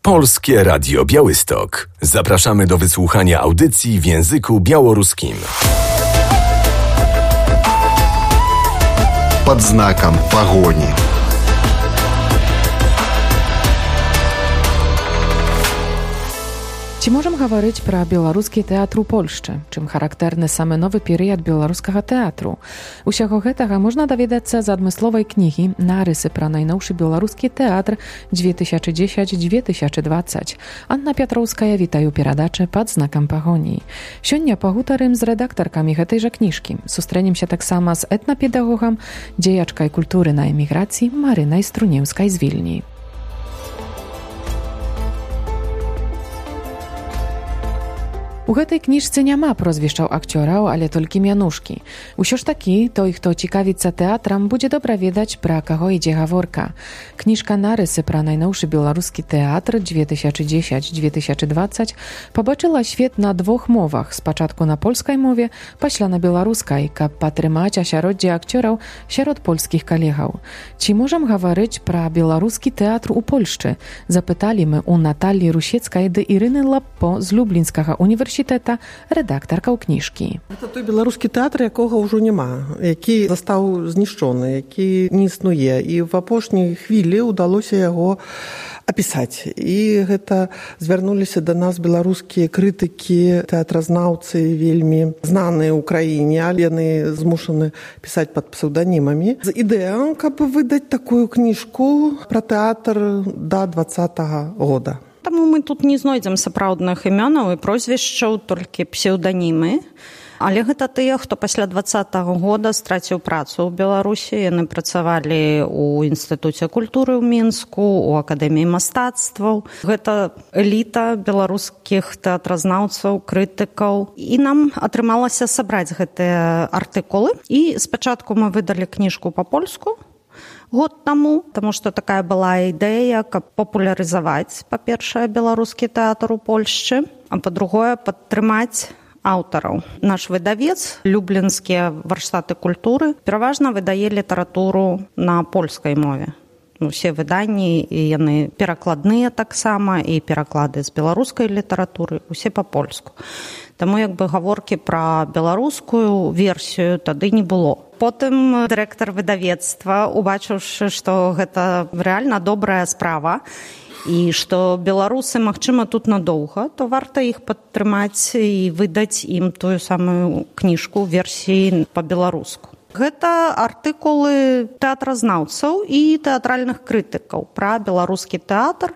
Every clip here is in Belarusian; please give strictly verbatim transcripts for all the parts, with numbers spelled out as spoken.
Polskie Radio Białystok. Zapraszamy do wysłuchania audycji w języku białoruskim. Pod znakiem pogoni. Ці можам гаварыць пра беларускі тэатр у Польшчы, чым характэрны самы новы перыяд беларускага тэатру. Усяго гэтага можна даведацца з адмысловай кнігі «Нарысы пра найноўшы беларускі тэатр две тысячи десять - две тысячи двадцать». Анна Пятроўская, вітаю перадачы «Пад знакам пагоні». Сёння пагутарым з рэдактаркамі гэтай жа кніжкі. Сустрэнемся таксама з этнапедагогам, дзеячкай культуры на эміграцыі Марынай Струнеўскай з Вільні. У гэтай кніжцы няма прозвішчаў акцёраў, але толькі мянушкі. Усё ж такі, той, хто цікавіцца тэатрам, будзе добра ведаць, пра каго ідзе гаворка. Кніжка «Нарысы пра найноўшы беларускі тэатр две тысячи десять - две тысячи двадцать» пабачыла свет на двух мовах, спачатку на польскай мове, пасля на беларускай, каб падтрымаць асяроддзе акцёраў сярод польскіх калегаў. Ці можам гаварыць пра беларускі тэатр у Польшчы? Запыталі мы у Наталлі Русецкай ды Ірыны Лаппо з Люблінскага універсітэта, рэдактарка ў кніжкі. Гэта той беларускі тэатр, якога ўжо няма, які застаў знішчоны, які не існуе. І в апошняй хвілі ўдалося яго апісаць. І гэта звярнуліся да нас беларускія крытыкі, тэатразнаўцы вельмі знаныя ў краіне, але яны змушаны пісаць пад псеўданімамі. З ідэяй, каб выдаць такую кніжку пра тэатр да двадцатага года. Таму мы тут не знойдзем сапраўдных імёнаў і прозвішчаў, толькі псеўданімы. Але гэта тыя, хто пасля двадцатага года страціў працу ў Беларусі. Яны працавалі ў Інстытуце культуры ў Мінску, у Акадэміі мастацтваў. Гэта эліта беларускіх тэатразнаўцаў, крытыкаў. І нам атрымалася сабраць гэтыя артыкулы. І спачатку мы выдалі кніжку па-польску, год таму, таму што такая была ідэя, каб папулярызаваць, па-першае, беларускі тэатр у Польшчы, а па-другое, падтрымаць аўтараў. Наш выдавец, Люблінскія варштаты культуры, пераважна выдае літаратуру на польскай мове. Усе выданні, і яны перакладныя таксама, і пераклады з беларускай літаратуры, усе па-польску. Таму як бы гаворкі пра беларускую версію тады не было. Потым дырэктар выдавецтва, убачыўшы, што гэта рэальна добрая справа, і што беларусы, магчыма, тут надоўга, то варта іх падтрымаць і выдаць ім тую самую кніжку версіі па-беларуску. Гэта артыкулы тэатразнаўцаў і тэатральных крытыкаў пра беларускі тэатр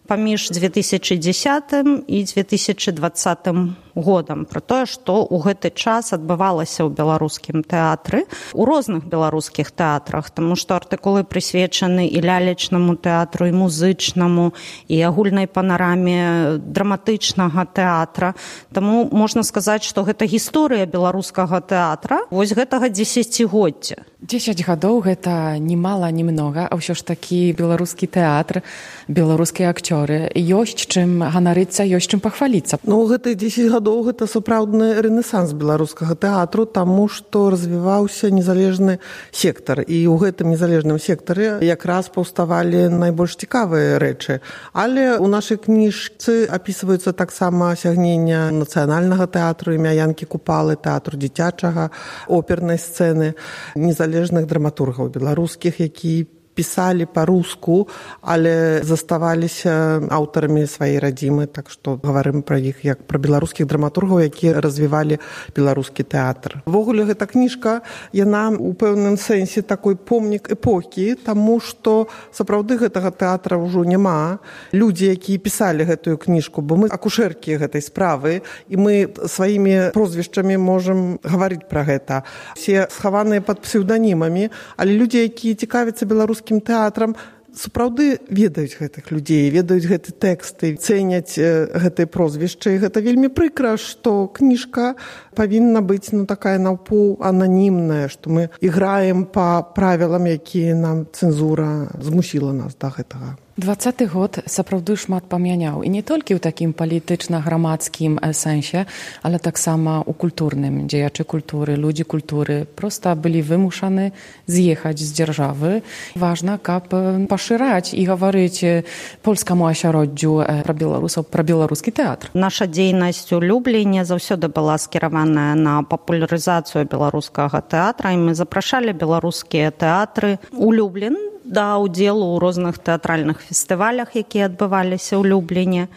паміж две тысячи десятым і две тысячи двадцатым годам, пра тое, што ў гэты час адбывалася ў беларускім тэатры, у розных беларускіх тэатрах, таму што артыкулы прысвечаны і лялечнаму тэатру, і музычнаму, і агульнай панараме драматычнага тэатра. Таму можна сказаць, што гэта гісторыя беларускага тэатра вось гэтага дзесяцігоддзя. дзесяць гадоў гэта ні мала, ні многа, а ўсё ж такі беларускі тэатр, беларускія акцёры. Ёсць чым ганарыцца, ёсць чым пахваліцца. Ну, гэты дзесяць гадоў гэта сапраўдны рэнесанс беларускага тэатру, таму што развіваўся незалежны сектар. І ў гэтым незалежным сектары якраз паўставалі найбольш цікавыя рэчы. Але ў нашай кніжцы апісваюцца таксама асягнення нацыянальнага тэатру імя Янкі Купалы, тэатру дзіцячага, опернай сцэны, незалежных драматургаў беларускіх, які пісалі па-руску, але заставаліся аўтарамі сваёй радзімы, так што гаварым пра іх як пра беларускіх драматургаў, якія развівалі беларускі тэатр. Увогуле гэта кніжка, яна ў пэўным сэнсе такой помнік эпохі, таму што сапраўды гэтага тэатра ўжо няма. Людзі, якія пісалі гэтую кніжку, бо мы акушэркі гэтай справы, і мы сваімі прозвішчамі можам гаварыць пра гэта. Все схаваныя пад псеўданімамі, але людзі, якія цікавяцца беларускім тэатрам, сапраўды ведаюць гэтых людзей, ведаюць гэты тэксты, цэняць гэтыя прозвішчы. Гэта вельмі прыкра, што кніжка павінна быць ну, такая наўпоў ананімная, што мы іграем па правілам, якія нам цэнзура змусіла нас да гэтага. Двадцаты год сапраўды шмат памяняў і не толькі ў такім палітычна-грамадскім сэнсе, але таксама ў культурным. Дзеячы культуры, людзі культуры проста былі вымушаны з'ехаць з дзяржавы. Важна, каб пашыраць і гаварыць польскаму асяроддзю пра беларусаў, пра беларускі тэатр. Наша дзейнасць у Любліне заўсёды была скіраваная на папулярызацыю беларускага тэатра, і мы запрашалі беларускія тэатры у Люблін да ўдзелу ў розных тэатральных фестывалях, якія адбываліся ў Любліне.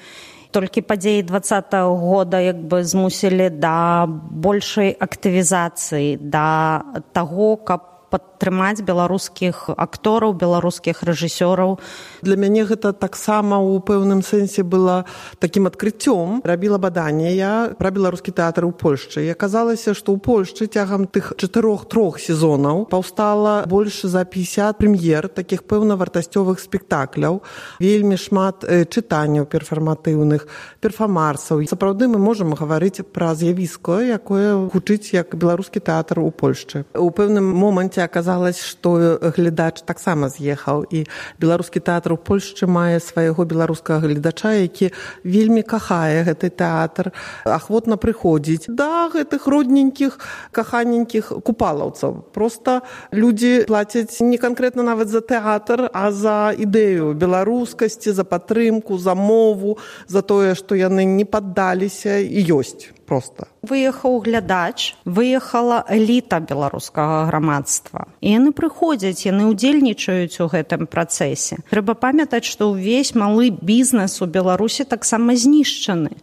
Толькі падзеі двадцатага года як бы змусілі да большай актывізацыі, да таго, каб падтрымаць беларускіх актораў, беларускіх рэжысёраў. Для мяне гэта таксама ў пэўным сэнсе было такім адкрыццём. Рабіла баданне я пра беларускі тэатр у Польшчы. І аказалася, што ў Польшчы цягам тых чатырох-трох сезонаў паўстала больш за пятьдесят прэм'ер, такіх пэўна вартасцёвых спектакляў, вельмі шмат чытанняў перфарматыўных, перфамарсаў. Сапраўды мы можам гаварыць пра з'явіска, якое гучыць як беларускі тэатр у Польшчы. У пэўным моманце аказалось, што глядач таксама з'ехаў, і беларускі тэатр у Польшчы мае свайго беларускага гледача, які вельмі кахае гэты тэатр, ахвотна прыходзіць да гэтых родненькіх, каханенькіх купалаўцаў. Проста людзі плацяць не канкрэтна нават за тэатр, а за ідэю беларускасці, за падтрымку, за мову, за тое, што яны не паддаліся і ёсць. Просто. Выехаў глядач, выехала эліта беларускага грамадства. І яны прыходзяць, яны ўдзельнічаюць у гэтым працэсе. Трэба памятаць, што ўвесь малы бізнес у Беларусі таксама знішчаны.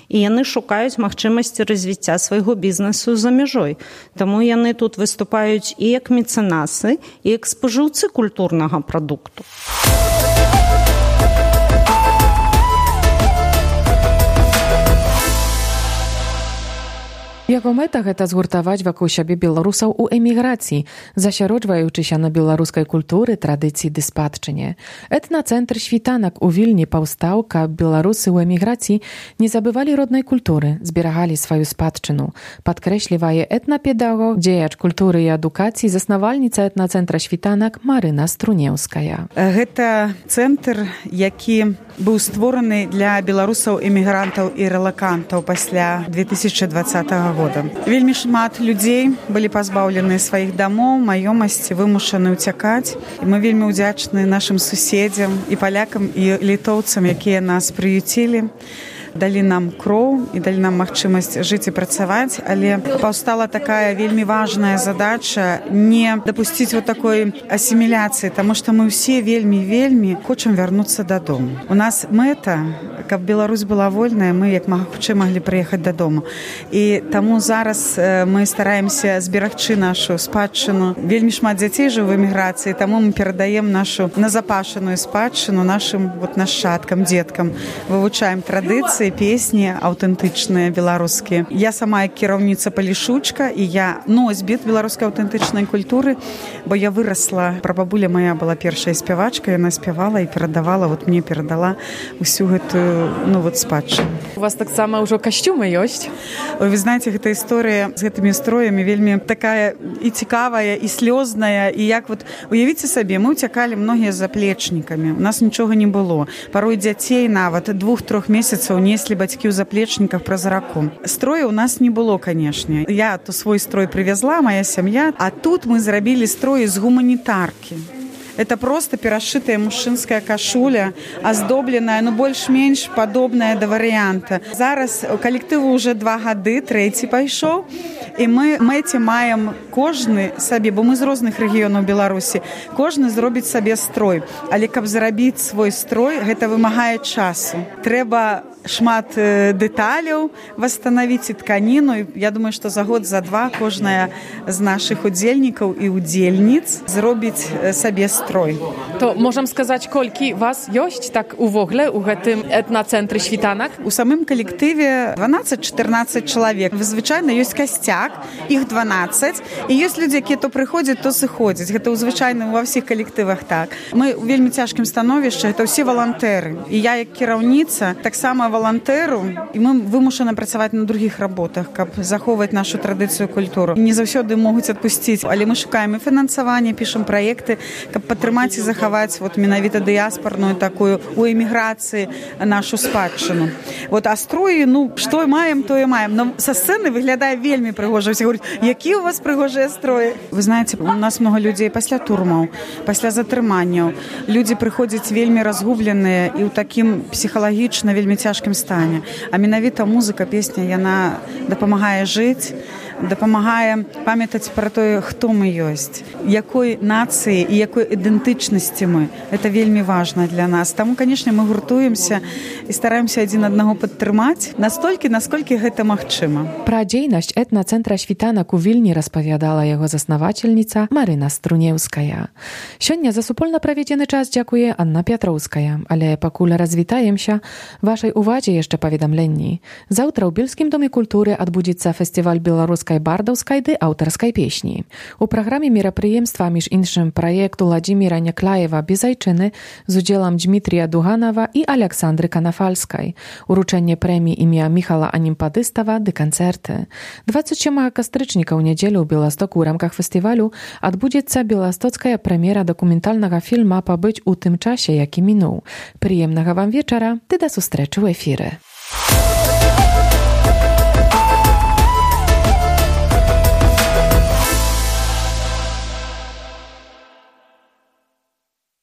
І яны шукаюць магчымасці развіцця свайго бізнесу за мяжой. Таму яны тут выступаюць і як мецэнасы, і як спажыўцы культурнага прадукту. Яго мэта гэта згуртаваць вакол сябе беларусаў у эміграцыі, засяроджваючыся на беларускай культуры, традыцыі ды спадчыне. Этнацэнтр «Світанак» у Вільні паўстаў, каб беларусы ў эміграцыі не забывалі роднай культуры, зберагалі сваю спадчыну. Падкрэслівае этнапедагог, дзеяч культуры і адукацыі, заснавальніца этнацэнтра «Світанак» Марына Струнеўская. Гэта цэнтр, які быў створаны для беларусаў-эмігрантаў і рэлакантаў пасля две тысячы двадцатага года. Вельмі шмат людзей былі пазбаўлены сваіх дамоў, маёмасці, вымушаны ўцякаць. І мы вельмі ўдзячны нашым суседзям і палякам і літоўцам, якія нас прыюцілі, далі нам кроў і далі нам магчымасць жыць і працаваць, але паўстала такая вельмі важная задача не дапусціць вот такой асіміляцыі, таму што мы ўсе вельмі-вельмі хочам вярнуцца дадому. У нас мэта, каб Беларусь была вольная, мы як мага хутчэй маглі прыехаць дадому. І таму зараз мы стараемся зберагчы нашу спадчыну. Вельмі шмат дзяцей жыў у эміграцыі, таму мы перадаем нашу назапашаную спадчыну нашым вот нашчадкам, дзеткам. Вывучаем традыцыі, песні аўтэнтычныя беларускія. Я сама як кіраўніца палішучка, і я носьбіт беларускай аўтэнтычнай культуры, бо я вырасла, прабабуля моя была першая спявачка, яна спявала і перадавала, вот мне перадала усю гэтую, ну вот, спадчыну. У вас таксама ўжо касцюмы ёсць? Ой, вы знаете, гэта історыя з гэтымі строямі вельмі такая і цікавая, і слёзная, і як вот, уявіце сабе, мы ўцякалі многія з заплечнікамі, у нас нічога не было. Парой дзяцей нават двух-трох месяцаў неслі бацькі ў заплечніках праз раку. Строя у нас не было, канешне. Я то свой строй привезла, моя сям'я, а тут мы зрабілі строй з гуманітаркі. Это просто перашытая мужчынская кашуля, аздобленая, ну, больш-менш падобная да варыянта. Зараз калектыву ўжо два гады, трэці пайшоў, і мы мэце маем кожны сабе, бо мы з розных рэгіёнаў Беларусі, кожны зробіць сабе строй. Але каб зрабіць свой строй, гэта вымагае часу. Трэба шмат дэталяў восстановіць і тканіну. Я думаю, што за год, за два кожная з нашых удзельнікаў і удзельніц зробіць сабе строй. То можам сказаць, колькі вас ёсць так увогуле у гэтым этнацэнтры «Світанак»? У самым калектыве дванаццаць-чатырнаццаць чалавек. Звычайна ёсць касцяк, іх дванаццаць, і ёсць людзі, якія то прыходзяць, то сыходзяць. Гэта звычайна ва ўсіх калектывах так. Мы ў вельмі цяжкім становішчы, гэта ўсе валантэры. І я як кіраўніца таксама валантэру, і мы вымушаны працаваць на другіх работах, каб захоўваць нашу традыцыю, культуру. Не заўсёды могуць адпусціць, але мы шукаем і фінансаванне, пішам праекты, каб падтрымаць і захаваць вот менавіта дыяспарную такую у эміграцыі нашу спадчыну. Вот а строі, ну, што маем, то і маем. Но са сцэны выглядае вельмі прыгожа. Все говорят, які у вас прыгожыя строі. Вы знаете, у нас много людзей пасля турмаў, пасля затрыманняў. Людзі прыходзяць вельмі разгубленыя і ў такім псіхалагічна вельмі цяжкім стане. А менавіта музыка, песня, яна дапамагае жыць, дапамагае памятаць пра тое, хто мы ёсць, якой нацыі і якой ідэнтычнасці мы. Это вельмі важна для нас. Таму, канешне, мы гуртуемся і стараемся адзін аднаго падтрымаць настолькі, насколькі гэта магчыма. Пра дзейнасць этнацэнтра «Світанак» у Вільні распавядала яго заснавачальніца Марына Струнеўская. Сёння за супольна праведзены час дзякуе Анна Пятроўская, але пакуль развітаемся, вашай увазе яшчэ паведамленні. Заўтра ў Бельскім доме культуры адбудзецца фестываль беларускай бардаўскай ды аўтарскай песні. У праграме мерапрыемства, між іншым, праекту Владзіміра Някляева «Безайчыны» з удзелам Дмітрія Дуганова і Аляксандры Канафальскай, уручэнне прэміі імя Міхала Анімпадыстава ды канцэрты. дваццаць сёмага кастрычніка ў нядзелю ў Беластоку ў рамках фестывалю адбудзецца беластоцкая прэм'ера дакументальнага фільма «Пабыць у тым часе, які мінуў». Прыемнага вам вечара, ды да сустрэчы ў эфіры.